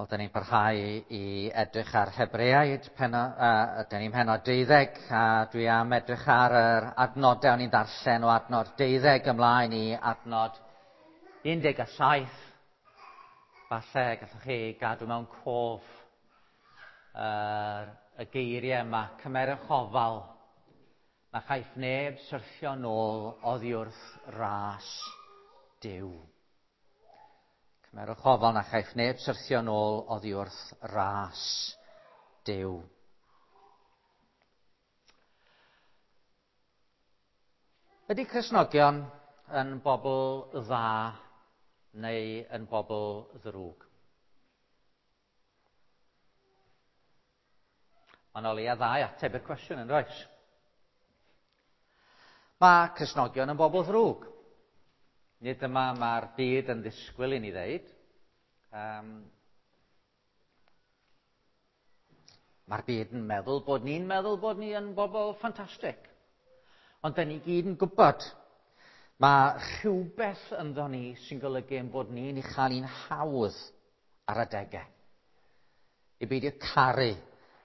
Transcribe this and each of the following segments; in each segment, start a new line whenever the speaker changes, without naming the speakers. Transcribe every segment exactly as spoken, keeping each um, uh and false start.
Wel, da ni'n parhau i edrych ar Hebreaid, peno, uh, da ni'n pennod deuddeg, a dwi am edrych ar yr adnodau o'n i'n darllen o adnod deuddeg ymlaen i adnod un deg saith. Falle gallwch chi gadw mewn cof uh, y geiriau yma, cymerwch ofal, na chaiff neb syrthio nôl oddi wrth ras Duw. Cymerwch ofal na chaiff neb syrthio nôl oddi wrth ras Duw. Ydy Cristnogion yn bobl dda neu yn bobl ddrwg? Mae'n o leia ddau ateb i'r cwestiwn yn does? Mae Cristnogion yn bobl ddrwg. Nid dyma mae'r byd yn ddisgwyl i ni ddeud. Um, mae'r byd yn meddwl bod ni'n meddwl bod ni yn bobl ffantastig. Ond da ni gyd yn gwybod mae rhywbeth ynddo ni sy'n golygu ein bod ni'n ei chael ni'n hawdd ar adegau. I beidio caru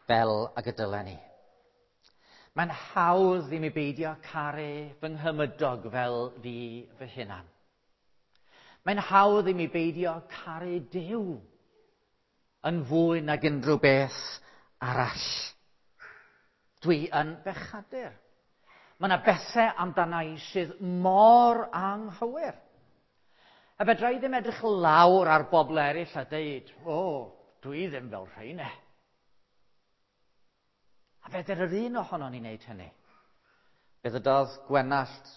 fel ag y dylen ni. Mae'n hawdd i mi beidio caru fy nghymydog fel fi fy hunan. Mae'n hawdd i mi beidio caru Duw yn fwy nag unrhyw beth arall. Dwi yn bechadur. Mae yna bethau amdana i sydd mor anghywir. A fedra i ddim edrych lawr ar bobl eraill a deud, o, dwi ddim fel rheina. A fedr yr un ohonon ni wneud hynny. Fe ddydodd Gwenallt,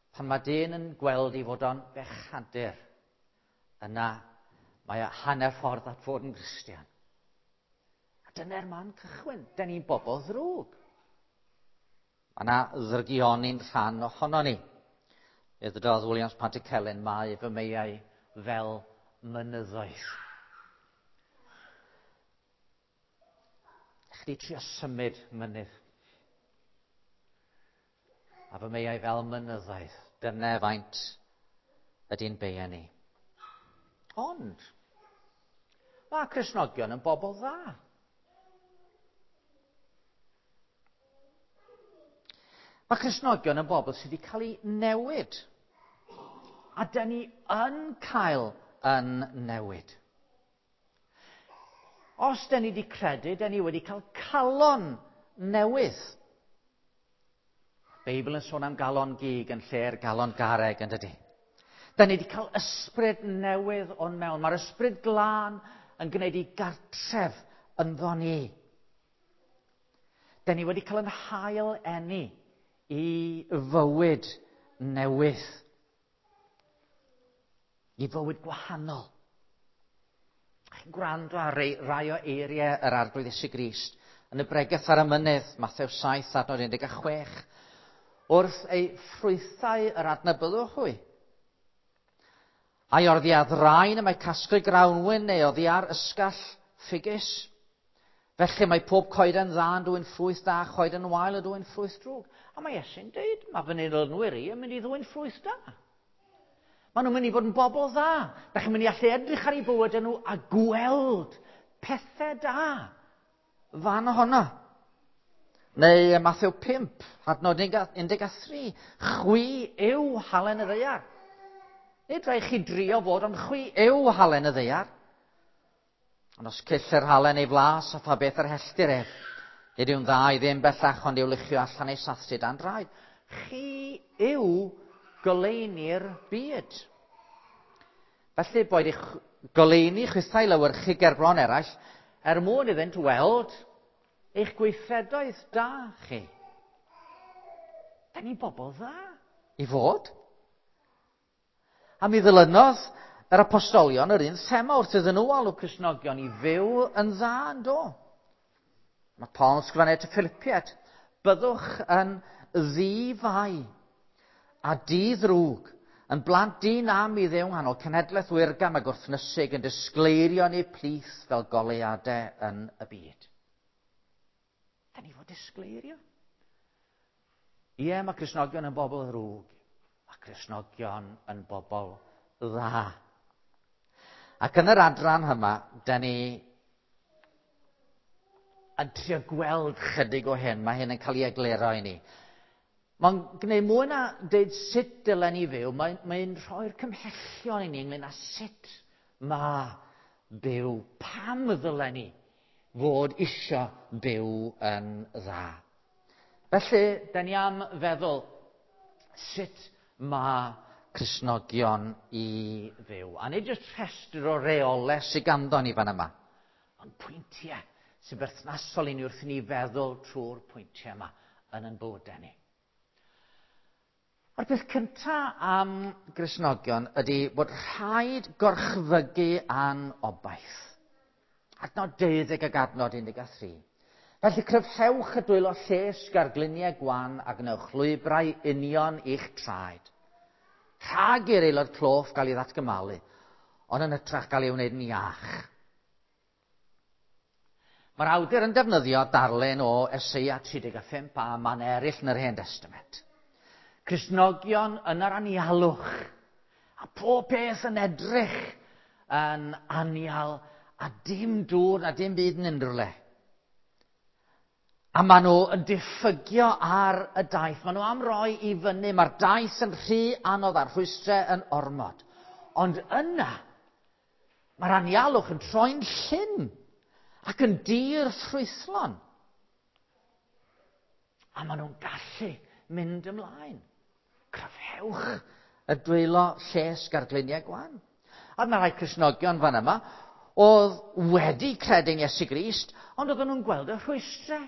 pan mae dyn yn gweld ei fod o'n bechadur, yna mae o hanner ffordd at fod yn Gristion. A dyna'r man cychwyn. Da ni'n bobl ddrwg. Mae yna ddrygioni'n rhan ohono ni. Fe ddydodd Williams Pantycelyn, mae fy meiau fel mynyddoedd. Chdi trio symud mynydd. A fy meiau fel mynyddoedd. Dyna faint ydy'n beia ni. Ond, mae Cristnogion yn bobl dda. Mae Cristnogion yn bobl sydd wedi cael eu newid. A da ni yn cael yn newid. Os da ni wedi credu, da ni wedi cael calon newydd. Beibl yn sôn am galon gig yn lle'r galon garreg, yn dydy. Da ni wedi cael ysbryd newydd o'n mewn. Mae'r ysbryd glân yn gwneud i gartref ynddo ni. Da ni wedi cael yn hail eni i fywyd newydd. I fywyd gwahanol. Chi'n gwrando ar rai o eiriau yr Arglwydd Iesu Grist yn y bregeth ar y mynydd, Mathew saith, adnod un deg chwech. Wrth ei ffrwythau yr adnabyddwch hwy. Ai oddi ar ddraen y mae casglu grawnwin neu oddi ar ysgall ffigus. Felly mae pob coeden dda yn dwyn ffrwyth da, coeden wael yn dwyn ffrwyth drwg. A mae Iesu'n deud, mae fy nilynwyr i yn mynd i ddwyn ffrwyth da. Maen nhw'n mynd i fod yn bobl dda. Da chi'n mynd i allu edrych ar eu bywyd nhw a gweld pethau da fan ohono. Neu Mathew pump, adnod un deg tri, chwi yw halen y ddaear. Nid rhaid chi drio fod, ond chwi yw halen y ddaear. Ond os cyll yr halen ei flas a pha beth yr helltir ef, nid yw'n dda i ddim bellach ond i'w luchio allan ei sathru dan draed. Chi yw goleuni'r byd. Felly boed i'ch goleuni chwithau lewyrchu gerbron eraill, er mwyn iddynt weld eich gweithredoedd da chi. Da ni'n bobl dda i fod. A mi ddilynodd yr apostolion yr un thema wrth iddyn nhw alw Cristnogion i fyw yn dda yn do. Mae Paul yn sgrifennu at y Philippiaid, byddwch yn ddi-fai a di-ddrwg, yn blant di-nam i Dduw nghanol cenhedlaeth wirgam a gwrthnysig yn disgleirio yn eu plith fel goleuadau yn y byd. Da ni fod disgleirio. Ie, mae Cristnogion yn bobl ddrwg. Mae Cristnogion yn bobl dda. Ac yn yr adran yma, da ni yn trio gweld chydig o hyn. Mae hyn yn cael ei egluro i ni. Mae'n gwneud mwy na dweud sut dylen ni fyw, mae'n mae rhoi'r cymhellion i ni ynglyn â sut mae byw, pam ddylen ni fod isio byw yn dda. Felly, da ni am feddwl sut mae Cristnogion i fyw. A nid jyst rhestr o reolau sydd ganddo ni fan yma, ond pwyntiau sy'n berthnasol i ni wrth i ni feddwl trwy'r pwyntiau yma yn ein bywydau ni. A'r peth cyntaf am Gristnogion ydy bod rhaid gorchfygu a'n obaith. Adnod deuddeg ag adnod un deg tri. Felly cryfhewch y dwylo llesg a'r gliniau gwan a gwnewch lwybrau union i'ch traed. Rhag i'r aelod cloff gael ei ddatgymalu, ond yn hytrach gael ei wneud yn iach. Mae'r awdur yn defnyddio darlun o Eseia tri deg pump a man eraill yn yr Hen Testament. Cristnogion yn yr anialwch, a pob peth yn edrych yn anial, a dim dŵr na dim byd yn unrhyw le. A maen nhw yn diffygio ar y daith. Maen nhw am roi i fyny. Mae'r daith yn rhy anodd a'r rhwystrau yn ormod. Ond yna, mae'r anialwch yn troi'n llyn ac yn dir ffrwythlon. A maen nhw'n gallu mynd ymlaen. Cryfhewch y dwylo llesg a'r gliniau gwan. A mae rhai Cristnogion fan yma oedd wedi credu'n Iesu Grist, ond oedden nhw'n gweld y rhwystrau.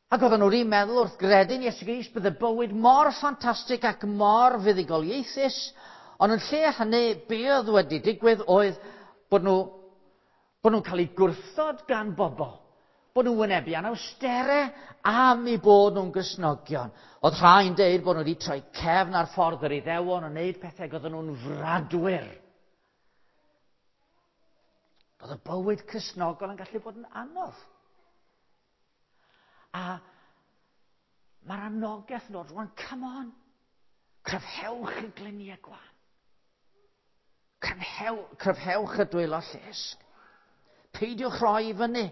Ac oedden nhw wedi meddwl wrth gredu'n Iesu Grist bydde bywyd mor ffantastig ac mor fuddugoliaethus, ond yn lle hynny, be oedd wedi digwydd oedd bod nhw, bod nhw'n cael eu gwrthod gan bobl, bod nhw'n wynebu anawsterau am eu bod nhw'n Gristnogion. Oedd rhai'n deud bod nhw wedi troi cefn ar ffordd yr Iddewon a wneud pethau, oedden nhw'n fradwyr. Oedd y bywyd Cristnogol yn gallu bod yn anodd. A mae'r anogaeth yn dod rwan, come on, cryfhewch y gliniau gwan. Cryfhew, cryfhewch y dwylo llesg. Peidiwch rhoi i fyny.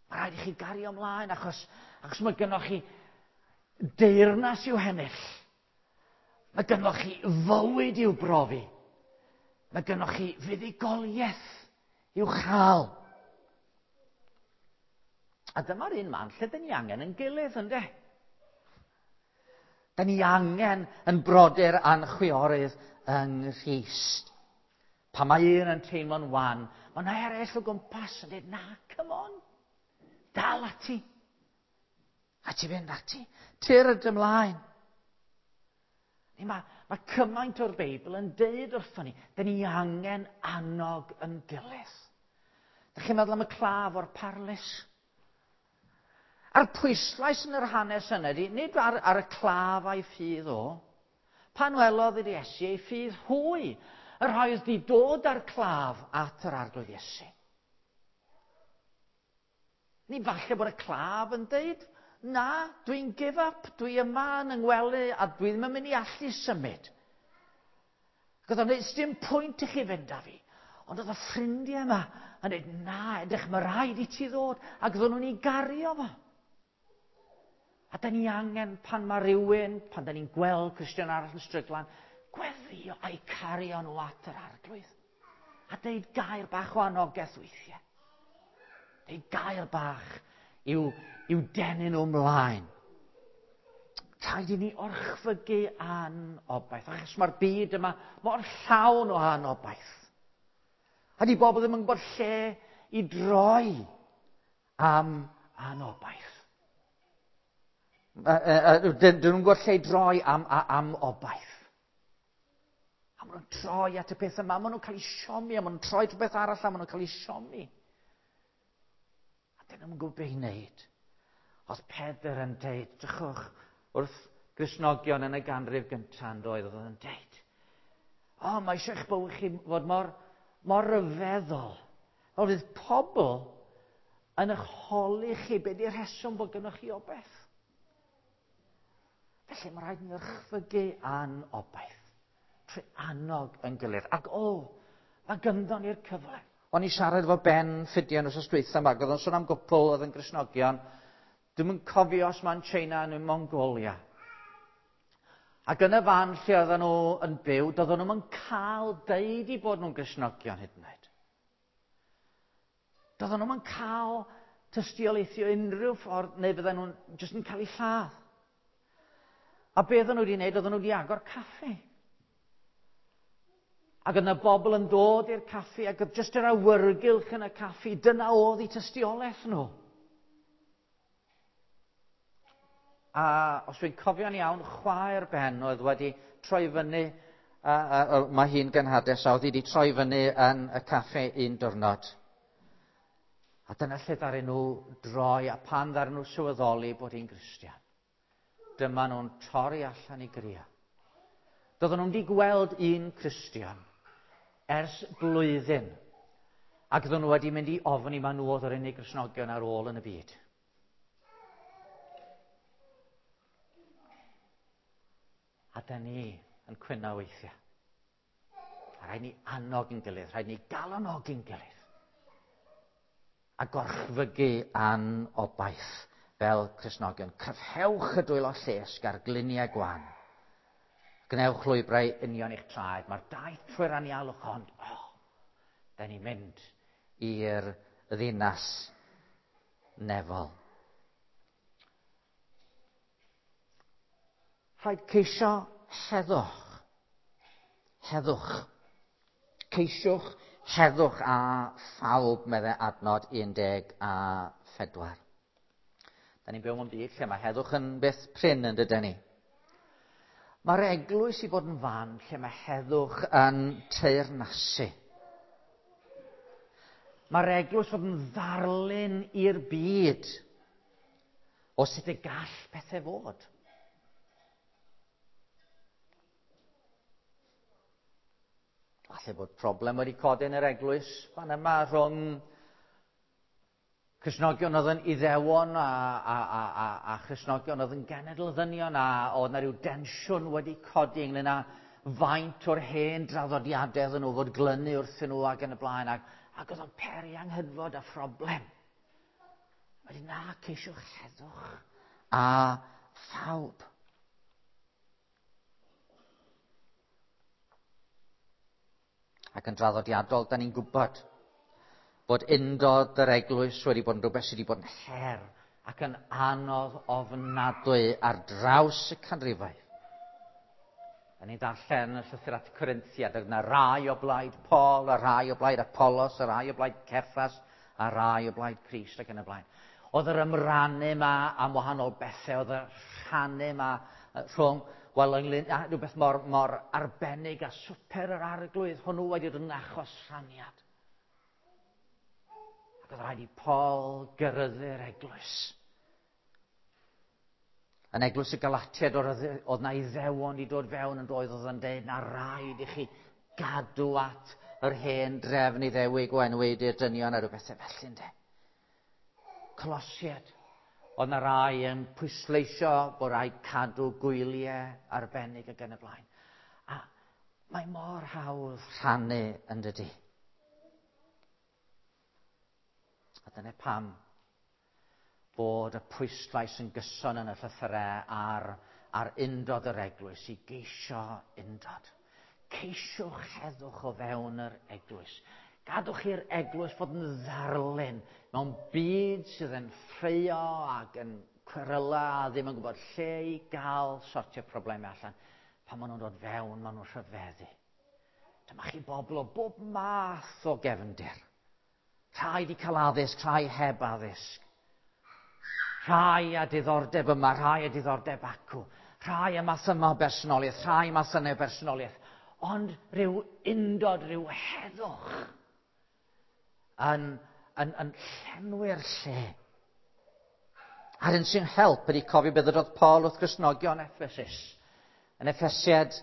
Mae rhaid i chi gario ymlaen achos, achos mae gynnoch chi deyrnas i'w hennill. Mae gynnoch chi fywyd i'w brofi. Mae gynnoch chi fuddugoliaeth i'w chael. A dyma'r un man lle dyn ni angen yn gilydd, ynde? Dyn ni angen yn brodyr a'n chwiorydd yng Nghrist. Pan mae un yn teimlo'n wan, mae yna eraill o gwmpas yn dweud, na, come on, dal ati. A ti fynd ati, tyrd ymlaen. Mae, mae cymaint o'r Beibl yn deud wrthon ni, dyn ni angen annog yn gilydd. Dych chi'n meddwl am y claf o'r parlys? A'r pwyslais yn yr hanes yna ydy, nid ar, ar y claf a'i ffydd o. Pan welodd yr Iesu ei ffydd hwy, yr rhai oedd wedi dod â'r claf at yr Arglwydd Iesu. Ni falle bod y claf yn deud, na, dwi'n give up, dwi yma yn yngwely a dwi ddim yn mynd i allu symud. Ac oedd o'n dweud, dim pwynt i chi fynd â fi. Ond oedd y ffrindiau yma yn dweud, na, edrych, mae rhaid i ti ddod. Ac oedden nhw'n ei gario fo. A da ni angen pan mae rhywun, pan da ni'n gweld Cristion arall yn stryglan, gweddio a'i cario nhw at yr Arglwydd. A deud gair bach o anogaeth weithiau. Deud gair bach i'w, i'w denu nhw ymlaen. Rhaid i ni orchfygu anobaith. Achos mae'r byd yma mor llawn o anobaith. A di bobl ddim yn gwybod lle i droi am anobaith. Dyn nhw'n gwybod lle i droi am, am obaith. A maen nhw'n troi at y peth yma, maen nhw'n cael eu siomi, a maen nhw'n troi at rhywbeth arall, a maen nhw'n cael eu siomi. A dyn nhw'n gwybod beth i wneud. Oedd Pedr yn deud, drychwch, wrth Gristnogion yn y ganrif gyntaf yn doedd, oedd yn deud, o, oh, mae eisiau eich bywyd chi fod mor, mor ryfeddol. Fel fydd pobl yn eich holi chi be di'r rheswm bod gynnwch chi obaith. Felly mae rhaid ni orchfygu a'n obaith. Trwy annog yn gilydd. Ac o, mae gynddon ni'r cyfle. O'n i siarad efo Ben Ffidian wrth dwytha yma, oedd o'n sôn am gwpl oedd yn Gristnogion. Dwi'm yn cofio os mae'n China neu Mongolia. Ac yn y fan lle oedden nhw yn byw, doedden nhw'n cael deud i bod nhw'n Gristnogion hyd yn oed. Doedden nhw'n cael tystiolaethu unrhyw ffordd, neu fydden nhw'n jyst yn cael eu lladd. A be oedden nhw wedi wneud, oedden nhw wedi agor caffi. Ac oedd yna bobl yn dod i'r caffi, ac oedd jyst yr awyrgylch yn y caffi, dyna oedd eu tystiolaeth nhw. A os dwi'n cofio'n iawn, chwaer Ben oedd wedi troi fyny, a, a, a, mae hi'n genhades, a oedd hi wedi troi fyny yn y caffi un diwrnod. A dyna lle ddaru nhw droi, a pan ddaru nhw sylweddoli bod hi'n Gristion. Dyma nhw'n torri allan i grio. Doedden nhw'n wedi gweld un Cristion ers blwyddyn, ac oedden nhw wedi mynd i ofni ma nhw oedd yr unig Gristnogion ar ôl yn y byd. A da ni yn cwyno weithiau. A rhaid ni annog yn gilydd, rhaid ni galonogi'n gilydd. A gorchfygu a'n obaith fel Cristnogion. Cryfhewch y dwylo llesg ar gliniau gwan. Gwnewch lwybrau union i'ch traed. Mae'r daith trwy'r anialwch ond, oh, da ni'n mynd i'r ddinas nefol. Rhaid ceisio heddwch. Heddwch. Ceisiwch heddwch a phawb, meddai adnod un deg a phedwar. Da ni'n byw mewn byd lle mae heddwch yn beth prin yn dydyn ni. Mae'r eglwys i fod yn fan lle mae heddwch yn teyrnasu. Mae'r eglwys fod yn ddarlun i'r byd o sut y gall pethau fod. Falle bod problem wedi codi yn yr eglwys fan yma rhwng Cristnogion oedd yn Iddewon a, a, a, a, a Christnogion oedd yn genedl ddynion, a oedd yna rhyw densiwn wedi codi ynglyn â faint o'r hen draddodiadau oedden nhw fod glynu wrthyn nhw ac yn y blaen, ac, ac oedd o'n peri anghydfod a phroblem. Wedyn na, ceisiwch heddwch a phawb. Ac yn draddodiadol, da ni'n gwybod bod undod yr eglwys wedi bod yn rhywbeth sydd wedi bod yn her ac yn anodd ofnadwy ar draws y canrifoedd. Da ni'n darllen y llythyr at y Corinthiaid, oedd yna rai o blaid Paul, a rai o blaid Apollos, a rai o blaid Ceffas, a rai o blaid Crist ac yn y blaen. Oedd yr ymrannu yma am wahanol bethau, oedd y rhannu yma rhwng, wel, ynglyn â rhywbeth mor, mor arbennig a swper yr arglwydd, hwnnw wedi dod yn achos rhaniad. Ac oedd rhaid i Paul gyrryddu'r eglwys. Yn eglwys y Galatiaid, oedd na Iddewon wedi dod fewn yn doedd, oedd yn dweud na rhaid i chi gadw at yr hen drefn Iddewig o enwedi'r dynion a rhywbeth felly, ynde. Colosiaid, oedd na rai yn pwysleisio bod rhaid cadw gwyliau arbennig ac yn y blaen. A mae mor hawdd rhannu yn dydi. A dyna pam bod y pwyslais yn gyson yn y llythyrau ar, ar undod yr eglwys, i geisio undod. Ceisiwch heddwch o fewn yr eglwys. Gadwch i'r eglwys fod yn ddarlun mewn byd sydd yn ffraeo ac yn cweryla a ddim yn gwybod lle i gael sortio problemau allan. Pan maen nhw'n dod fewn, maen nhw'n rhyfeddu. Dyma chi bobl o bob math o gefndir. Rhai wedi cael addysg, rhai heb addysg. Rhai â diddordeb yma, rhai â diddordeb acw. Rhai â math yma o bersonoliaeth, rhai math yna o bersonoliaeth. Ond rhyw undod, rhyw heddwch yn, yn, yn llenwi'r lle. A'r un sy'n help ydy cofio beth ydodd Paul wrth Gristnogion Ephesus. Yn Effesiad,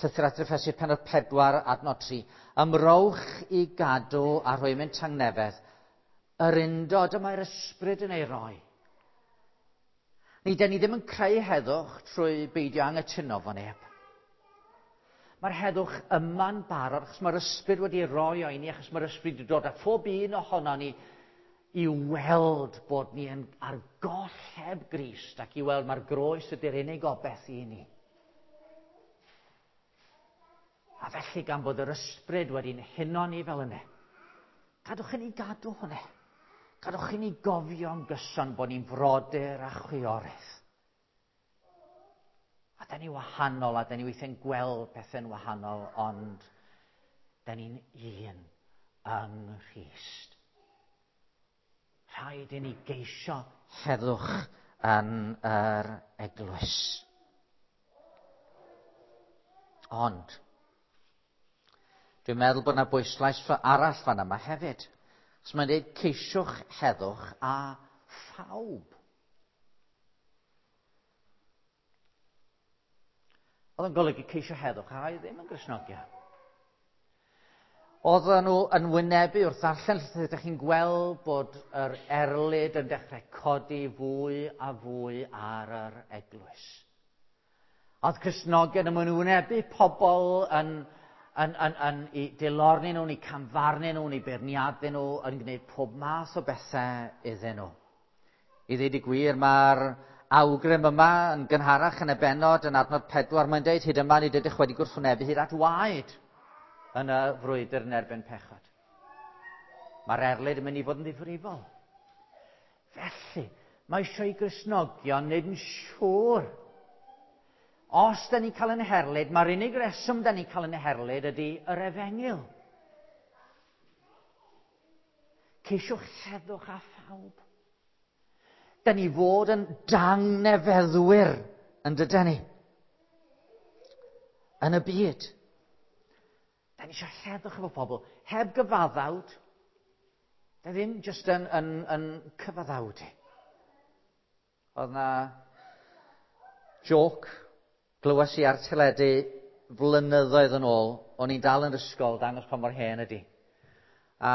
llythyr at Effesiad pennod pedwar, adnod tri. Ymrowch i gadw a rhwymyn tangnefedd yr undod y mae'r ysbryd yn ei roi. Ni, den ni ddim yn creu heddwch trwy beidio anghytuno fo neb. Mae'r heddwch yma'n barod, achos mae'r ysbryd wedi roi o i ni, achos mae'r ysbryd wedi dod â phob un ohono ni i weld bod ni yn ar goll heb Grist ac i weld mae'r groes ydy'r unig obaith i ni. A felly gan bod yr ysbryd wedi'n huno ni fel yna, gadwch i ni gadw hwnna. Gadwch i ni gofio'n gyson bod ni'n frodyr a chwiorydd. A da ni wahanol, a da ni weithiau'n gweld pethau'n wahanol, ond da ni'n un yng Nghrist. Rhaid i ni geisio heddwch yn yr eglwys. Ond, dwi'n meddwl bod yna bwyslais arall fan yma hefyd. Os mae'n dweud ceisiwch heddwch a phawb. Oedd yn golygu ceisio heddwch a ddim yn Gristnogion. Oedden nhw yn wynebu wrth ddarllen llythyr, ydych chi'n gweld bod yr erlid yn dechrau codi fwy a fwy ar yr eglwys. Oedd Cristnogion yn wynebu pobl yn, yn, yn, yn, i dilorni nhw, i camfarnu nhw, i beirniadu nhw, yn gwneud pob math o bethau iddyn nhw. I ddweud y gwir, mae'r awgrym yma yn gynharach yn y bennod yn adnod pedwar, mae'n deud hyd yma nid ydych wedi gwrthwynebu hyd at waed yn y frwydr yn erbyn pechod. Mae'r erlid yn mynd i fod yn ddifrifol. Felly, mae eisiau i Gristnogion wneud yn siŵr. Os da ni'n cael yn herlid, mae'r unig reswm da ni'n cael yn herlid ydy yr efengyl. Ceisiwch heddwch â phawb. Da ni fod yn dangnefeddwyr yn dydyn ni. Yn y byd. Da ni eisiau heddwch efo pobl. Heb gyfaddawd. Da ddim jyst yn, yn, yn cyfaddawd. Oedd na joc glywes i ar teledu flynyddoedd yn ôl. O'n i'n dal yn ysgol, dangos pa mor hen ydi. A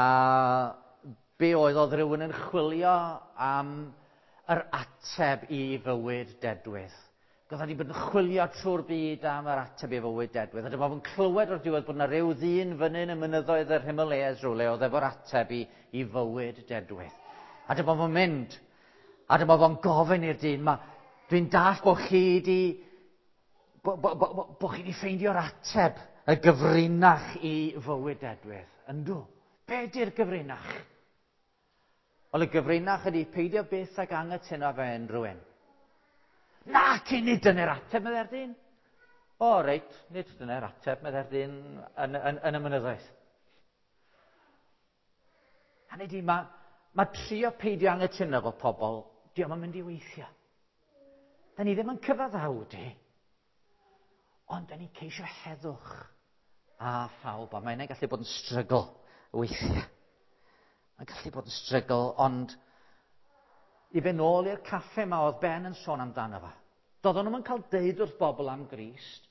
be oedd oedd rhywun yn chwilio am yr ateb i fywyd dedwydd. Oedd wedi bod yn chwilio trwy'r byd am yr ateb i fywyd dedwydd. A dyma fo'n clywed o'r diwedd bod yna rhyw ddyn fyny yn y mynyddoedd yr Himalayas rhywle oedd efo'r ateb i, i fywyd dedwydd. A dyma fo'n mynd. A dyma fo'n gofyn i'r dyn, ma, dwi'n dallt bod chi di, bo, bo, bo, bo, bo chi di ffeindio'r ateb, y gyfrinach i fywyd dedwydd. Yndw, be di'r gyfrinach? Wel, y gyfrinach ydy peidio byth ag anghytuno fe unrhyw un. Na, ci, nid dyna'r ateb, meddai'r dyn. O, reit, nid dyna'r ateb, meddai'r dyn yn, yn, yn y mynyddoedd. Hynny ydi, mae ma trio peidio anghytuno efo pobl, dio'm yn mynd i weithio. Da ni ddim yn cyfaddawdu, ond da ni'n ceisio heddwch a phawb, a mae hynny'n gallu bod yn strygl weithiau. Mae'n gallu bod yn strygl, ond i fynd nôl i'r caffe yma oedd Ben yn sôn amdano fo. Doedden nhw'm yn cael deud wrth bobl am Grist,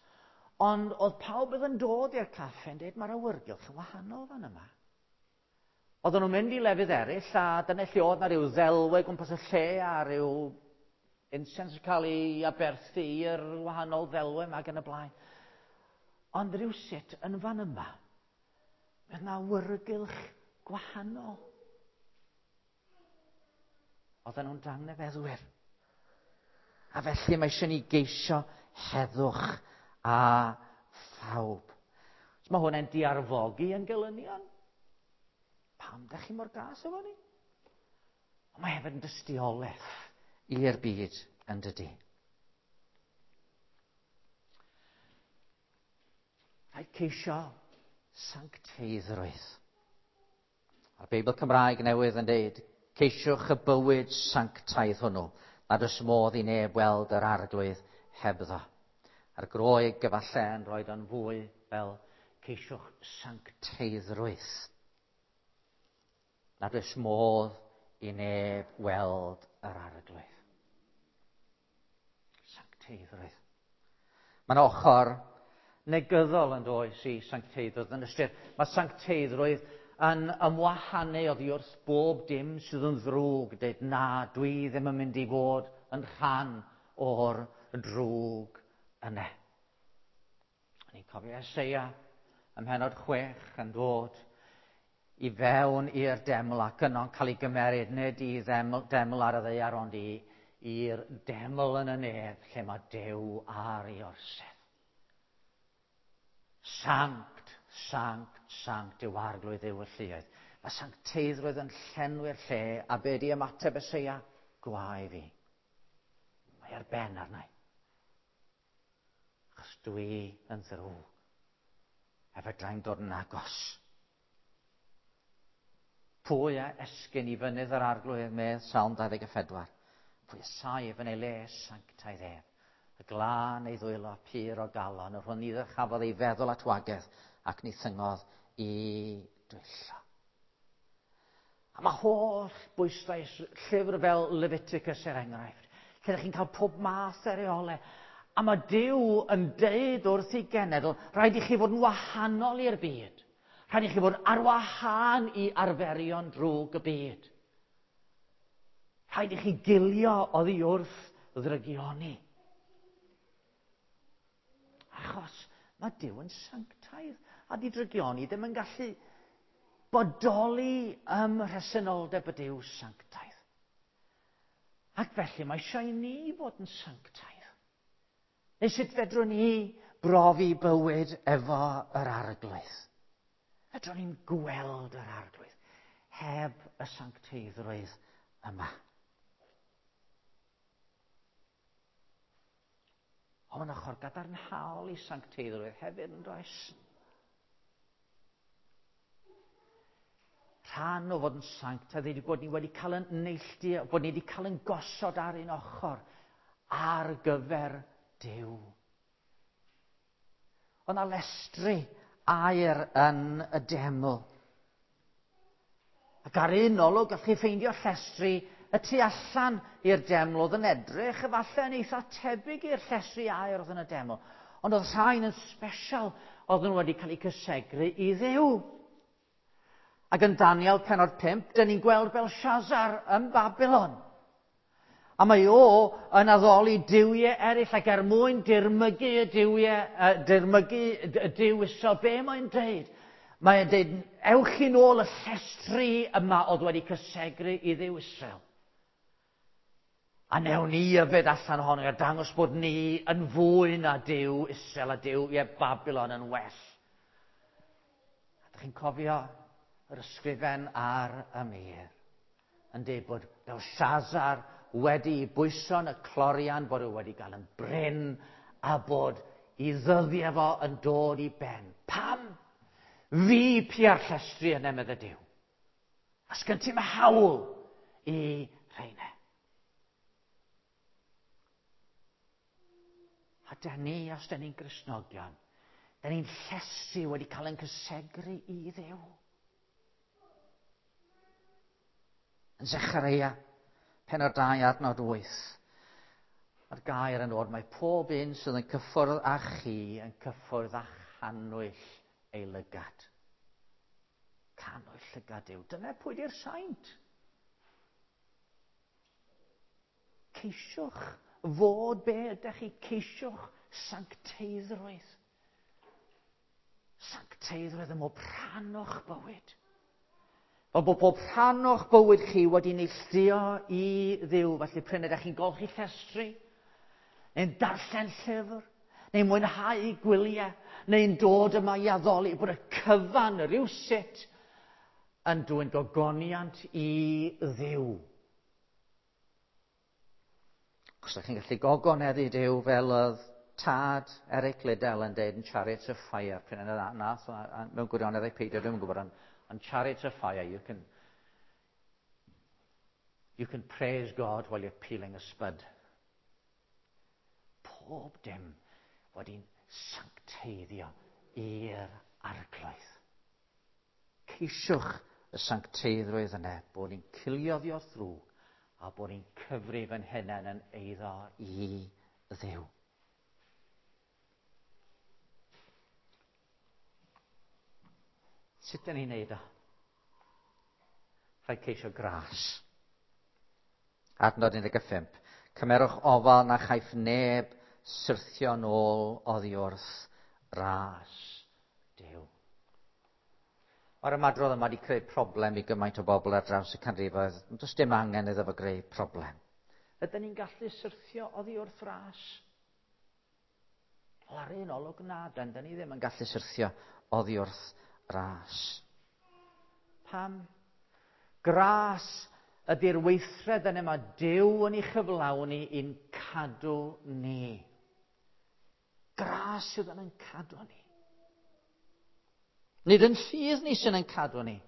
ond oedd pawb oedd yn dod i'r caffe yn deud mae'r awyrgylch yn wahanol fan yma. Oedden nhw'n mynd i lefydd eraill, a dyna lle oedd na ryw ddelwe gwmpas y lle a ryw incense yn cael ei aberthu i'r wahanol ddelwe yma ac yn y blaen. Ond rhywsut yn fan yma, mae yna awyrgylch gwahanol. Oedden nhw'n dangnefeddwyr. A felly mae eisiau ni geisio heddwch a phawb. So mae hwnna'n diarfogi yn gelynion. Pam da chi mor gas efo ni? Ond mae hefyd yn dystiolaeth i'r byd yn dydi. Rhaid ceisio sancteiddrwydd. A'r Beibl Cymraeg newydd yn deud, ceisiwch y bywyd sanctaidd hwnnw, nad oes modd i neb weld yr arglwydd hebddo. A'r Groeg efallai yn rhoi o'n fwy fel ceisiwch sancteiddrwydd. Nad oes modd i neb weld yr arglwydd. Sancteiddrwydd. Mae'n ochr negyddol yn does i sancteiddrwydd. Yn ystyr, mae sancteiddrwydd yn ymwahanu oddi wrth bob dim sydd yn ddrwg, dweud na, dwi ddim yn mynd i fod yn rhan o'r drwg yna. Ni'n Chi'n cofio Eseia ym mhennod chwech yn dod i fewn i'r deml ac yno'n cael ei gymeryd nid i ddeml, deml ar y ddaear ond i i'r deml yn y nef lle mae Duw ar ei orsedd. Sanct, sanct, sanct yw arglwydd Dduw y lluoedd. Mae sancteiddrwydd yn llenwi'r lle a be di ymateb Eseia? Gwae fi. Mae ar ben arna i. Achos dwi yn ddrwg. A fedrai'm dod yn agos. Pwy a esgyn i fynydd yr arglwydd medd Salm dau ddeg a phedwar. Pwy a saif yn ei le sanctaidd ef. Y glân ei ddwylo pur o galon, yr hwn ni ddyrchafodd ei feddwl at wagedd ac ni thyngodd i dwyllo. A mae holl bwyslais llyfr fel Leviticus er enghraifft, lle ydych chi'n cael pob math o reolau. A mae Duw yn deud wrth ei genedl, rhaid i chi fod yn wahanol i'r byd. Rhaid i chi fod ar wahân i arferion drwg y byd. Rhaid i chi gilio oddi wrth ddrygioni. Achos mae Duw yn sanctaidd a di drygioni ddim yn gallu bodoli ym mhresenoldeb y Duw sanctaidd. Ac felly mae eisiau i ni fod yn sanctaidd. Neu sut fedrwn ni brofi bywyd efo yr arglwydd? Fedrwn ni'n gweld yr arglwydd heb y sancteiddrwydd yma. Ond mae'n ochr gadarnhaol i sancteiddrwydd hefyd yn does? Rhan o fod yn sanctaidd ydy bod ni wedi cael yn neilltu, bod ni wedi cael yn gosod ar un ochr ar gyfer Duw. Oedd 'na lestri aur yn y deml. Ac ar un olwg, gallwch chi ffeindio llestri y tu allan i'r deml oedd yn edrych efallai yn eitha tebyg i'r llestri aur oedd yn y deml. Ond oedd rhain yn special, oedd nhw wedi cael eu cysegru i Dduw. Ac yn Daniel pennod pump, dyn ni'n gweld Belshazzar yn Babylon. A mae o yn addoli duwiau eraill ac er mwyn dirmygu y duwiau, uh, dirmygu y Duw Israel, be mae'n deud? Mae'n deud, ewch chi nôl y llestri yma oedd wedi cysegru i Dduw Israel. A newn ni yfed allan ohono a dangos bod ni yn fwy na Duw Israel a Duw ie Babylon yn well. A ydych chi'n cofio yr ysgrifen ar y mur yn deud bod Belshazzar wedi bwyso yn y clorian, bod e wedi gael yn brin a bod i ddyddiau fo yn dod i ben. Pam? Fi pia'r llestri yna, medde Duw. A sgyn ti'm hawl i rheina. A da ni, os da ni'n Gristnogion, da ni'n llestri wedi cael yn cysegru i Dduw. Yn Zechareia, pennod dau adnod wyth, mae'r gair yn dod, mae pob un sydd yn cyffwrdd â chi yn cyffwrdd â channwyll ei lygad. Cannwyll llygad yw. Dyna pwy di'r saint. Ceisiwch fod be ydych chi, ceisiwch sancteiddrwydd. Sancteiddrwydd ym mhob rhan o'ch bywyd. Fel bod pob rhan o'ch bywyd chi wedi neilltuo i Dduw. Felly pryn ydych chi'n golchi llestri, neu'n darllen llyfr, neu'n mwynhau gwyliau, neu'n dod yma i addoli, bod y cyfan rywsut yn dwyn gogoniant i Dduw. Os ydych chi'n gallu gogoneddu Duw fel oedd tad Eric Liddell yn deud yn Chariots of Fire, pryn yna nath, mewn gwirionedd ei peidio, dwi'n gwybod, ond on Chariots of Fire, you can, you can praise God while you're peeling a spud. Pob dim wedi'n sancteiddio i'r arglwydd. Ceisiwch y sancteiddrwydd yna, bod ni'n cilio oddi wrth ddrwg a bod ni'n cyfrif yn hunain yn eiddo i Dduw. Sut dyn ni'n neud o? Rhaid ceisio gras. Adnod un deg pump. Cymerwch ofal na chaiff neb syrthio nôl oddi wrth ras Duw. Mae'r ymadrodd yma wedi creu problem i gymaint o bobl ar draws y canrifoedd. Does dim angen iddo fo greu problem. Ydyn ni'n gallu syrthio oddi wrth ras? Wel, ar un olwg na, dyn ni ddim yn gallu syrthio oddi wrth ras. Pam? Gras ydy'r weithred yna mae Duw yn ei chyflawni i'n cadw ni. Gras sydd yn cadw ni. Nid yn ffydd ni sy'n yn cadw ni.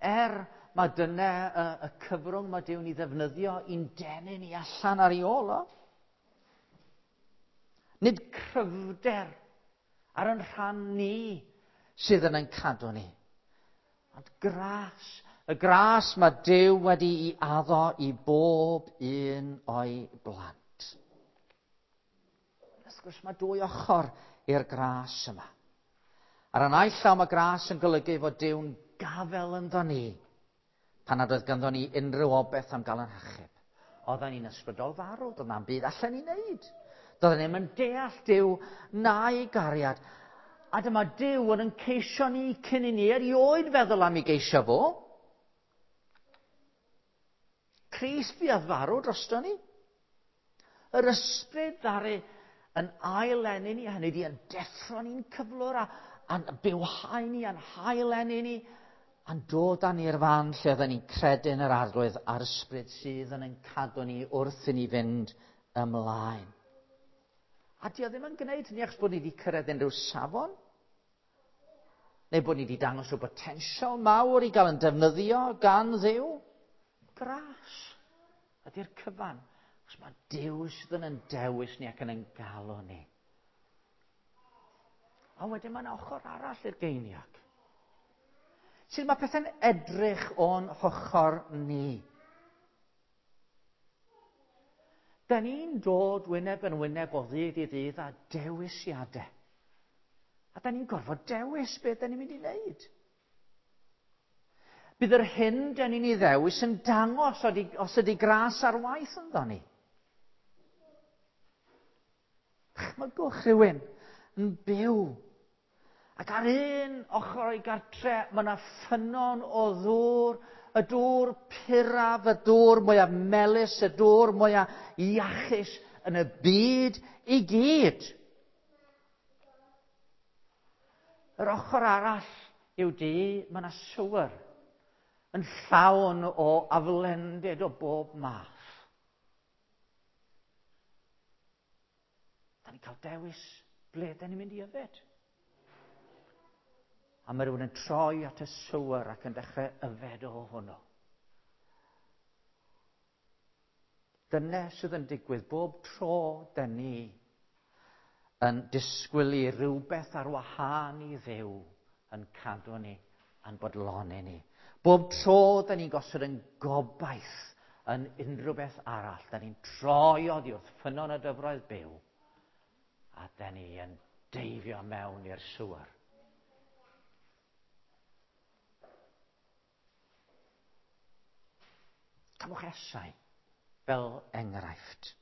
Er mae dyna y, y cyfrwng mae Duw'n ei ddefnyddio i'n denu ni allan ar ei ôl o. Nid cryfder ar yn rhan ni sydd yn yn cadw ni. Ond gras, y gras mae Duw wedi'i addo i bob un o'i blant. Wrth gwrs mae dwy ochr i'r gras yma. Ar y naill llaw mae gras yn golygu fod Duw'n gafel ynddo ni pan nad oedd ganddo ni unrhyw obaith am gael yn hachub. Oedden ni'n ysbrydol farw, doedd na'm byd allan ni wneud. Doedden ni'm yn deall Duw na'i gariad. A dyma Duw yn yn ceisio ni cyn i ni erioed feddwl am ei geisio fo. Crist fuodd farw drosto ni. Yr ysbryd ddaru yn ail-eni ni, hynny ydi yn deffro ni'n cyflwr a, a'n bywhau ni, a'n hail-eni ni, a'n dod â ni'r fan lle oedden ni'n credu yn yr Arglwydd a'r ysbryd sydd yn ein cadw ni wrth i ni fynd ymlaen. A di o ddim yn gwneud hynny achos bod ni wedi cyrraedd unrhyw safon, neu bod ni wedi dangos rhyw botensial mawr i gael yn defnyddio gan Dduw. Gras ydy'r cyfan. Achos mae Duw sydd yn ein dewis ni ac yn ein galw ni. A wedyn mae'n ochr arall i'r geiniog. Sut mae pethau'n edrych o'n hochr ni? Da ni'n dod wyneb yn wyneb o ddydd i ddydd a dewisiadau. A da ni'n gorfod dewis beth da ni'n mynd i wneud. Bydd yr hyn da ni'n ei ddewis yn dangos os ydy gras ar waith ynddo ni. Chmygwch rhywun yn byw. Ac ar un ochr o'i gartre, mae yna ffynnon o ddŵr, y dŵr puraf, y dŵr mwyaf melys, y dŵr mwyaf iachus yn y byd i gyd. Yr ochr arall yw di, mae yna sewer yn llawn o aflendid o bob math. Da ni'n cael dewis ble da ni'n mynd i yfed. A mae rhywun yn troi at y sewer ac yn dechrau yfed o hwnnw. Dyna sydd yn digwydd bob tro da ni yn disgwyl i rhywbeth ar wahân i Dduw yn cadw ni a'n bodloni ni. Bob tro da ni'n gosod yn gobaith yn unrhyw beth arall, da ni'n troi oddi wrth ffynnon y dyfroedd byw, a da ni yn deifio mewn i'r sewer. Cymwch Esau fel enghraifft.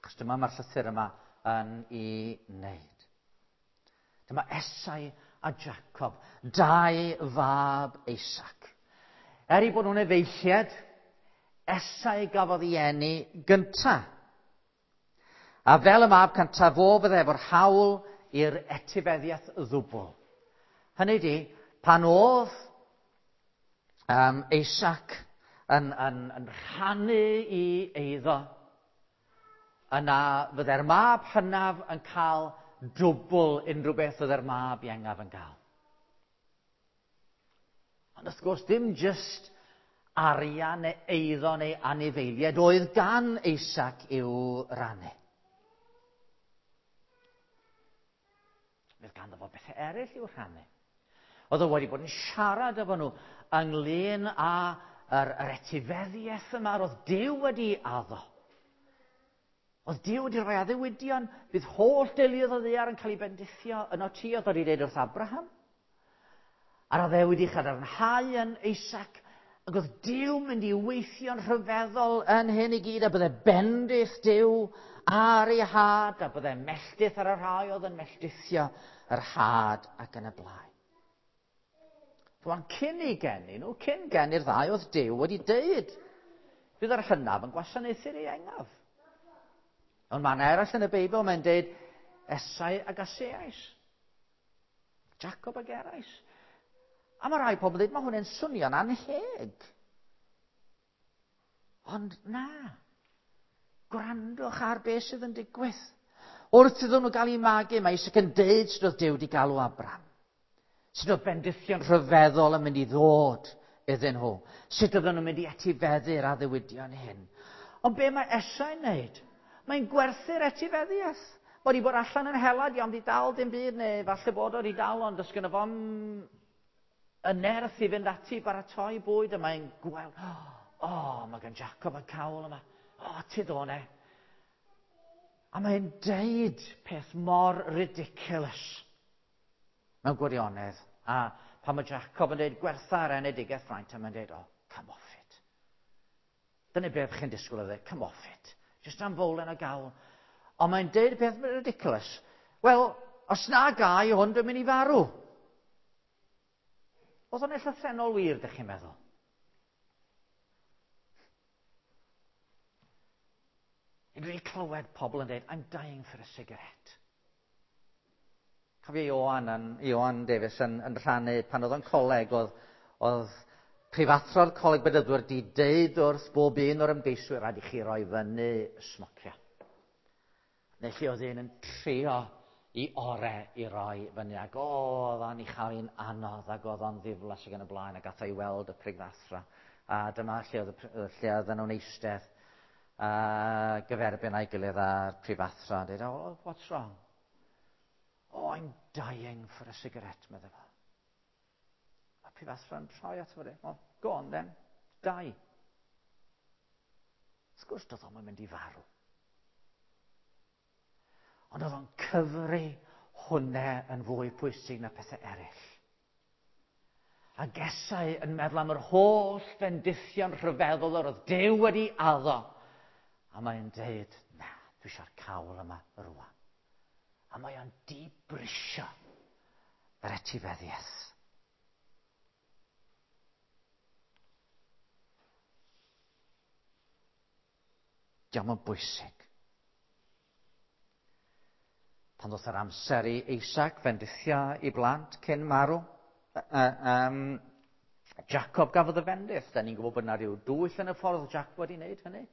Achos dyma mae'r llythyr yma yn ei wneud. Dyma Esau a Jacob, dau fab Isaac. Er eu bod nhw'n efeilliaid, Esau gafodd ei eni gynta. A fel y mab cyntaf, fo fydde efo'r hawl i'r etifeddiaeth ddwbl. Hynny ydi, pan oedd um, Isaac yn, yn, yn rhannu i eiddo, yna fydde'r mab hynaf yn cael dwbl unrhyw beth oedd yr mab iengaf yn cael. Ond wrth gwrs, dim jyst arian neu eiddo neu anifeiliaid oedd gan Isaac i'w rannu. Oedd ganddo fo bethau eraill i'w rhannu. Oedd o wedi bod yn siarad efo nhw ynglyn â yr, yr etifeddiaeth yma roedd Duw wedi addo. Oedd Duw wedi rhoi addewidion, bydd holl deuluoedd o ddaear yn cael ei bendithio yno ti, oedd wedi dweud wrth Abraham. A'r addewid i chadarnhau yn Isaac, ac oedd Duw mynd i weithio'n rhyfeddol yn hyn i gyd, a bydde bendith Duw ar ei had, a byddai melltith ar y rhai oedd yn melltithio yr had ac yn y blaen. Rwan, cyn ei geni nhw, cyn geni'r ddau, oedd Duw wedi deud, bydd yr hynaf yn gwasanaethu'r ieuengaf. Ond man eraill yn y Beibl, mae'n deud Esau ag Aseais. Jacob ag Erais. A mae rai pobl yn dweud, mae hwn yn swnio'n anheg. Ond na. Gwrandwch ar beth sydd yn digwydd. Wrth iddyn nhw gael eu magu, mae Isaac yn deud sut oedd Duw wedi galw Abraham. Sut oedd bendithion rhyfeddol yn mynd i ddod iddyn nhw. Sut oedden nhw'n mynd i etifeddu'r addewidion hyn. Ond be mae Esau'n wneud? Mae'n gwerthu'r etifeddiaeth. Mae wedi bod allan yn hela, di ond di dal dim byd, neu falle bod o wedi dal, ond does gynno fo'm y nerth i fynd ati i baratoi bwyd, a mae'n gweld, o, oh, mae gan Jacob y cawl yma, o, oh, ti ddone. A mae'n deud peth mor ridiculous mewn gwirionedd. A pan mae Jacob yn deud gwertha'r enedigaeth fraint, a mae'n deud, oh, come off it. Dyna beth chi'n disgwyl o ddeud, come off it. Just am fowlen o gawl. Ond mae'n deud peth ridiculous. Wel, os na gai hwn, dwi'n mynd i farw. Oedd o'n llythrennol wir, dych chi'n meddwl? Dwi'n wedi clywed pobl yn dweud, I'm dying for a cigarette. Cofio Ioan, yn, Ioan Davies yn, yn rhannu pan oedd o'n coleg, oedd, oedd prifathro'r coleg bedyddwyr di deud wrth bob un o'r ymgeiswyr, rhaid i chi roi fyny smocio. Neu lle oedd un yn trio i ore i roi fyny, ac oedd o'n ei chael hi'n anodd, ac oedd o'n ddiflas ac yn y blaen, ac ath o i weld y prifathro. A dyma lle oedd, lle oedd nhw'n eistedd a gyferbyn a'i gilydd a'r prifathro, a dweud, oh, what's wrong? Oh, I'm dying for a cigarette, medde fo. A prifathro'n troi ato fo, dweud, well, go on then, die. Wrth gwrs, doedd o'm yn mynd i farw. Ond oedd o'n cyfri hwnna yn fwy pwysig na pethau eraill. A Esau yn meddwl am yr holl fendithion rhyfeddol yr oedd Duw wedi addo. A mae'n deud, na, dwi eisiau'r cawl yma rwan. A mae o'n dibrisio yr etifeddiaeth. Diolch yn bwysig. Pan ddoth yr amser i Isaac fendithio i blant cyn marw, uh, um, Jacob gafodd y fendith. Da ni'n gwybod bod yna rhyw dwyll yn y ffordd Jacob wedi wneud hynny.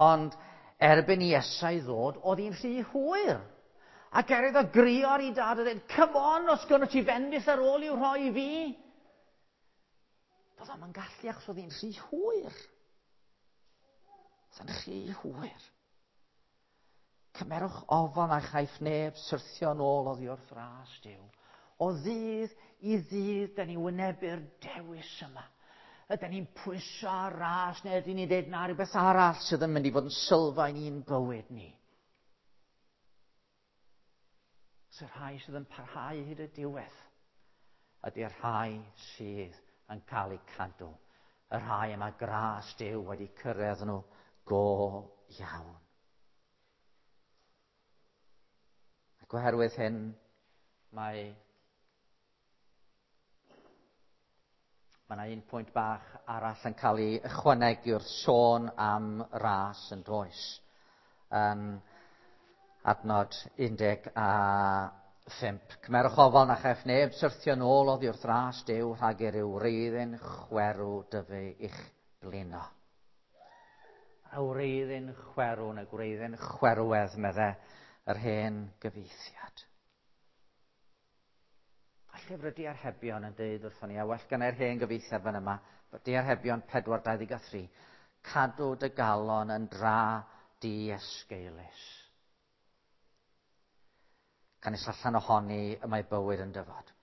Ond erbyn i Esau ddod, oedd hi'n rhy hwyr. Ac er iddo grio ar ei dad a dweud, come on, os gynno ti fendith ar ôl i'w rhoi i fi. Doedd o'm yn gallu achos oedd hi'n rhy hwyr. Oedd hi'n rhy hwyr. Cymerwch ofal na chaiff neb syrthio nôl oddi wrth ras Duw. O ddydd i ddydd, da ni'n wynebu'r dewis yma. Ydyn ni'n pwyso ar ras, neu ydyn ni'n dweud na rhywbeth arall sydd yn mynd i fod yn sylfaen i'n bywyd ni. Sy'r rhai sydd yn parhau hyd y diwedd ydy'r rhai sydd yn cael eu cadw. Y rhai yma gras Duw wedi cyrraedd nhw go iawn. Ac oherwydd hyn, mae mae yna un pwynt bach arall yn cael ei ychwanegu wrth sôn am ras yn does. Yn adnod un deg a phump. Cymerwch ofal na chaiff neb syrthio nôl oddi wrth ras Duw rhag i ryw wreiddyn chwerw dyfu i'ch blino. Y wreiddyn chwerw neu gwreiddyn chwerwedd, medde yr hen gyfieithiad. A llyfr y Diarhebion yn deud wrthon ni, a well gan yr hen gyfieithiad fan yma, Diarhebion pedwar dau ddeg a thri, cadw dy galon yn dra diesgeulus. Canys allan ohoni y mae bywyd yn dyfod.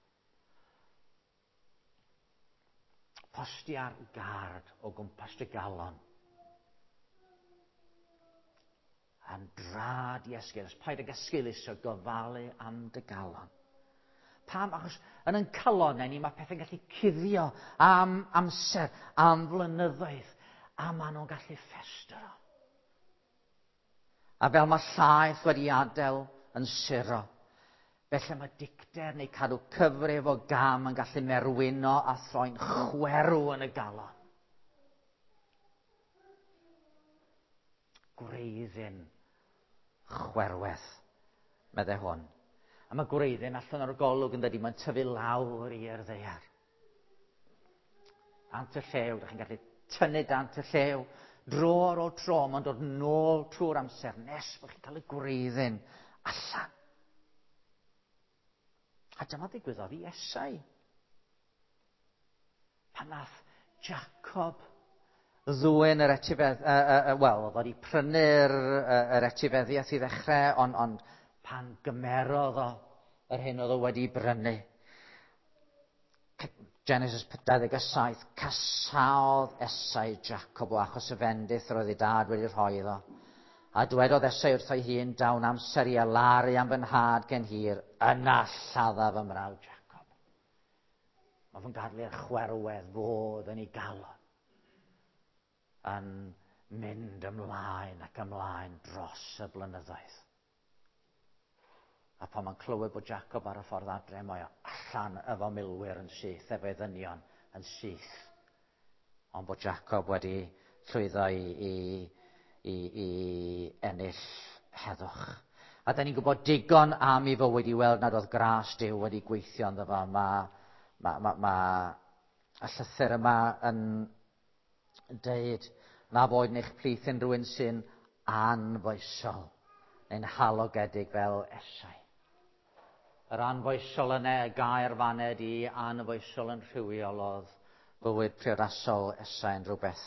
Postia'r gard o gwmpas dy galon. Yn dra diesgeulus. Paid ag esgeuluso gofalu am dy galon. Pam? Achos yn ein calonnau ni mae pethau'n gallu cuddio am amser, am flynyddoedd, a maen nhw'n gallu ffestro. A fel mae llaeth wedi adael yn suro, felly mae dicter neu cadw cyfrif o gam yn gallu merwino a throi'n chwerw yn y galon. Gwreiddyn chwerwedd, meddai hwn. A mae gwreiddyn allan o'r golwg yn dydi, mae'n tyfu lawr i'r ddaear. Dant y llew, ydych chi'n gallu tynnu dant y llew. Dro ar ôl tro, mae'n dod nôl trwy'r amser nes bod chi'n cael y gwreiddyn allan. A dyma ddigwyddodd i Esau. Pan nath Jacob ddwyn yr etifedd, uh, uh, uh, wel, oedd wedi prynu'r uh, yr etifeddiaeth i ddechrau, ond, ond pan gymerodd o yr hyn oedd o wedi brynu. Genesis dau ddeg saith, casaodd Esau Jacob o achos y fendith yr oedd ei dad wedi rhoi iddo. A dwedodd Esau wrtho'i hun, dawn amser i alaru am fy nhad gen hir, yna lladda fy mrawd Jacob. Mae fe'n gadael i'r chwerwedd fod yn ei galon, yn mynd ymlaen ac ymlaen dros y blynyddoedd. A pan mae'n clywed bod Jacob ar y ffordd adre, mae o allan efo milwyr yn syth, efo'i ddynion yn syth. Ond bod Jacob wedi llwyddo i, i, i, i ennill heddwch. A da ni'n gwybod digon am ei fywyd i weld nad oedd gras Duw wedi gweithio ynddo fo. Mae ma, ma, ma, y llythyr yma yn deud na fod yn eich plith unrhyw un sy'n anfoesol neu'n halogedig fel Esau. Yr anfoesol yna, y gair faned i anfoesol yn rhywiol oedd bywyd priodasol Esau yn rhywbeth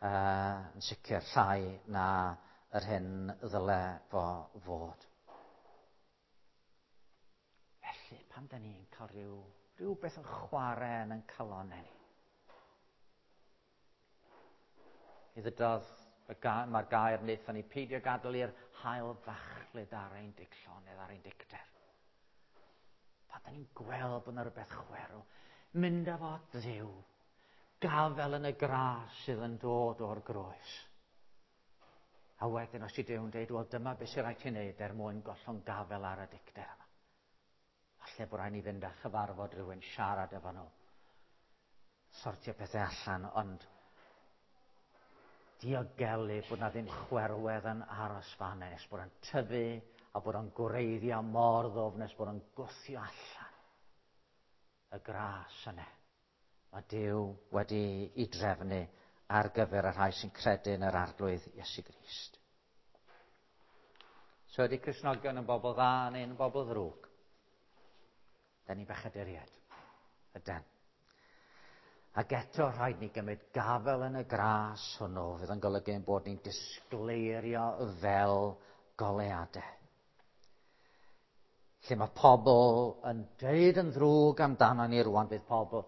uh, yn sicr llai na yr hyn ddyle fo fod. Felly, pan da ni'n cael rhyw, rhywbeth yn chwarae yn ein calonnau ni, i ddydodd, mae'r gair wnaethon ni peidio gadael i'r haul fachlud ar ein digllonedd, ar ein dicter. Pan da ni'n gweld bod yna rhywbeth chwerw, mynd â fo at Dduw, gafel yn y gras sydd yn dod o'r groes. A wedyn os i Duw'n dweud, wel dyma beth sy'n rhaid ti wneud er mwyn gollwng gafel ar y dicter yma. Falle bod rhaid ni fynd a chyfarfod rhywun, siarad efo nhw, sortio pethau allan, ond diogelu bod na ddim chwerwedd yn aros fan nes bod o'n tyfu a bod o'n gwreiddio mor ddwfn nes bod o'n gwthio allan y gras yna. Mae Duw wedi ei drefnu ar gyfer y rhai sy'n credu yn yr Arglwydd Iesu Grist. So ydy Cristnogion yn bobl dda neu'n bobl ddrwg? Da ni bechaduriaid. Yden. Ac eto rhaid ni gymryd gafel yn y gras hwnnw fydd yn golygu ein bod ni'n disgleirio fel goleuadau. Lle mae pobl yn deud yn ddrwg amdano ni rwan, bydd pobl,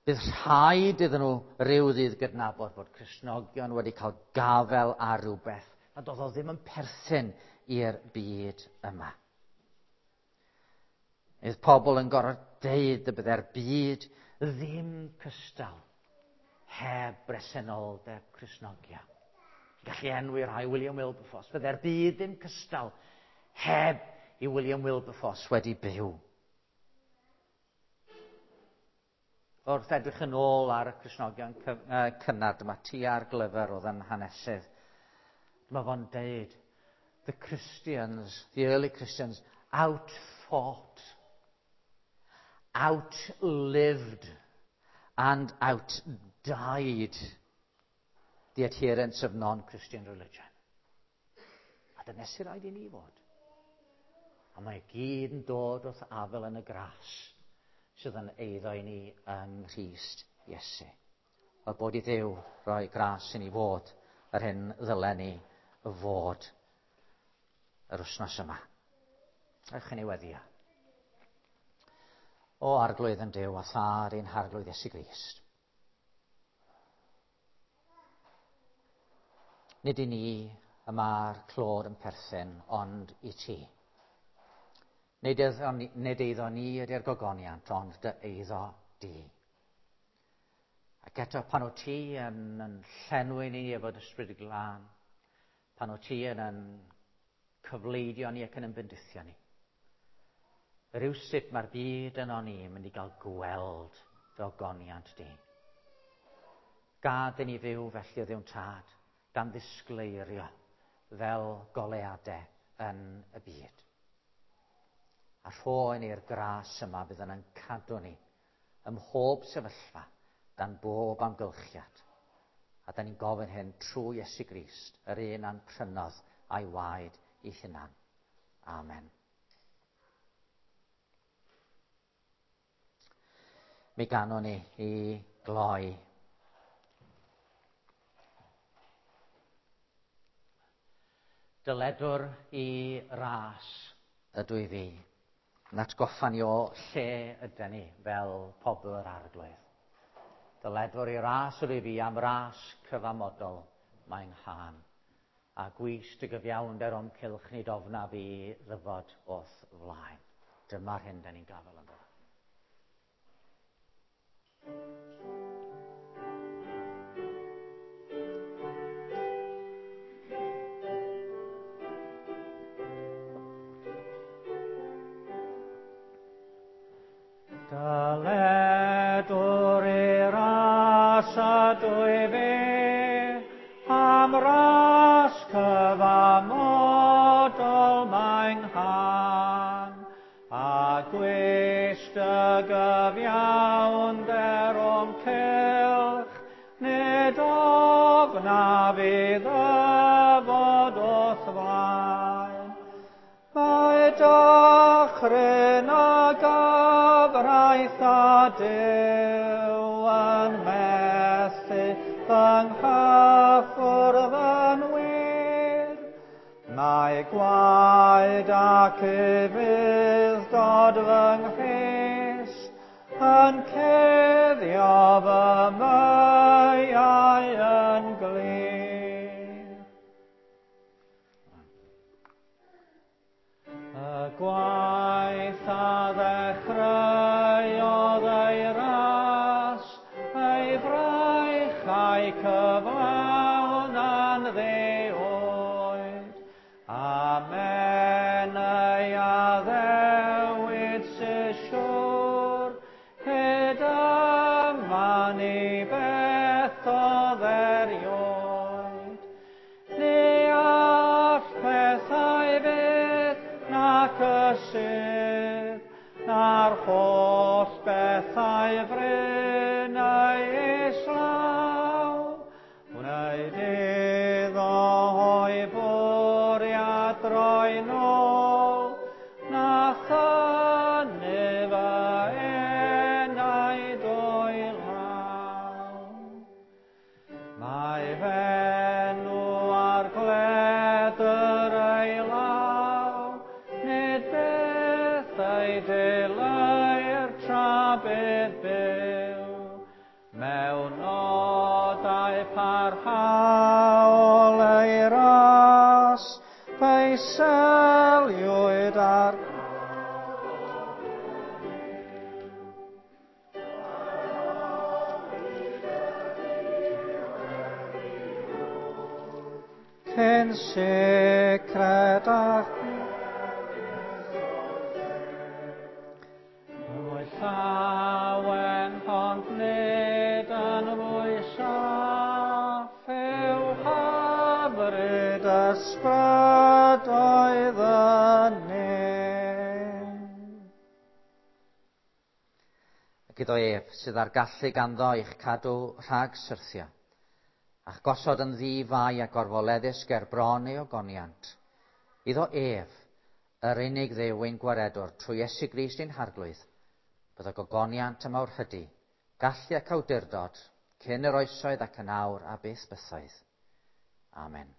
bydd rhaid iddyn nhw ryw ddydd gydnabod bod Cristnogion wedi cael gafel ar rhywbeth nad oedd o ddim yn perthyn i'r byd yma. Bydd pobl yn gorfod deud y bydde'r byd ddim cystal heb bresenoldeb Cristnogion. Gallu enwi rhai William Wilberforce. Bydde'r byd ddim cystal heb i William Wilberforce wedi byw. Wrth edrych yn ôl ar y Cristnogion cynnar, dyma T R Glyfr oedd yn hanesydd. Dyma fo'n deud, the Christians, the early Christians, outthought, outlived and outdied the adherents of non-Christian religion. A dyna sy'n rhaid i ni fod. A mae gyd yn dod wrth afel yn y gras sydd yn eiddo i ni yng Nghrist Iesu. Wel, bod i Dduw roi gras i ni fod yr hyn ddylen ni fod yr wythnos yma. Ewch i ni weddio. O Arglwydd yn Duw a Thad ein Harglwydd Iesu Grist. Nid i ni y mae'r clod yn perthyn, ond i ti. Nid eiddo ni, nid eiddo ni ydy'r gogoniant, ond dy eiddo di. Ac eto pan o ti yn, yn llenwi ni efo dy Ysbryd Glân, pan o ti yn, yn cyfleidio ni ac yn ymbendithio ni. Rywsut mae'r byd yno ni yn mynd i gael gweld dy ogoniant di. Gad i ni fyw felly o Dduw'n Tad, gan ddisgleirio fel goleadau yn y byd. A rho i ni'r gras yma bydd yn cadw ni ym mhob sefyllfa, dan bob amgylchiad. A da ni'n gofyn hyn trwy Iesu Grist, yr un a'n prynodd a'i waed ei hunan. Amen. Mi ganwn ni i gloi. Dyledwr i ras ydw i fi. Yn atgoffa ni o lle ydyn ni fel pobl yr Arglwydd. Dyledwr i ras ydw i fi am ras cyfamodol mae'n nghân. A gwys dy gyfiawnder o'm cylch nid ofna fi ddyfod o'th flaen. Dyma'r hyn da ni'n gafel ynddo. Dyledwr i ras ydw i fi, am ras cyfamodol mae'n nghân, a gwys dy gyfiawnder o'm cylch, nid ofna fi ddyfod o'th flaen. Mae dychryn a gyfraith a Duw yn methu fy nghyffwrdd yn wir. Mae gwaed ac ufudd-dod fy nghrist yn cuddio fy meiau yn glir. Y gwaith a ddechreuodd ei ras, ei fraich a'i cyflawn yn ddi-oed. Amen ei addewid sy'n siŵr, hyd yma ni bethodd erioed. Ni all pethau fyth nac ysydd, na'r holl bethau fryn ei islaw. Wneud iddo o'i fwriad droi nôl, na thynnu fy enaid o'i law. Mae f'enw ar gledr ei law, nid byth ei dileu'r tra bydd byw. Mewn nodau parhaol ei ras, fe'i seliwyd ar cyn sicred a Mwy llawen ond nid yn fwy saff yw hyfryd ysbrydoedd y nef. Ac iddo ef sydd â'r gallu ganddo i'ch cadw rhag syrthio, a'ch gosod yn ddi-fai a gorfoleddus ger bron ei ogoniant. Iddo ef, yr unig Dduw ein gwaredwr, trwy Iesu Grist ein Harglwydd, byddo gogoniant a mawrhydi, gallu ac awdurdod, cyn yr oesoedd ac yn awr a byth bythoedd. Amen.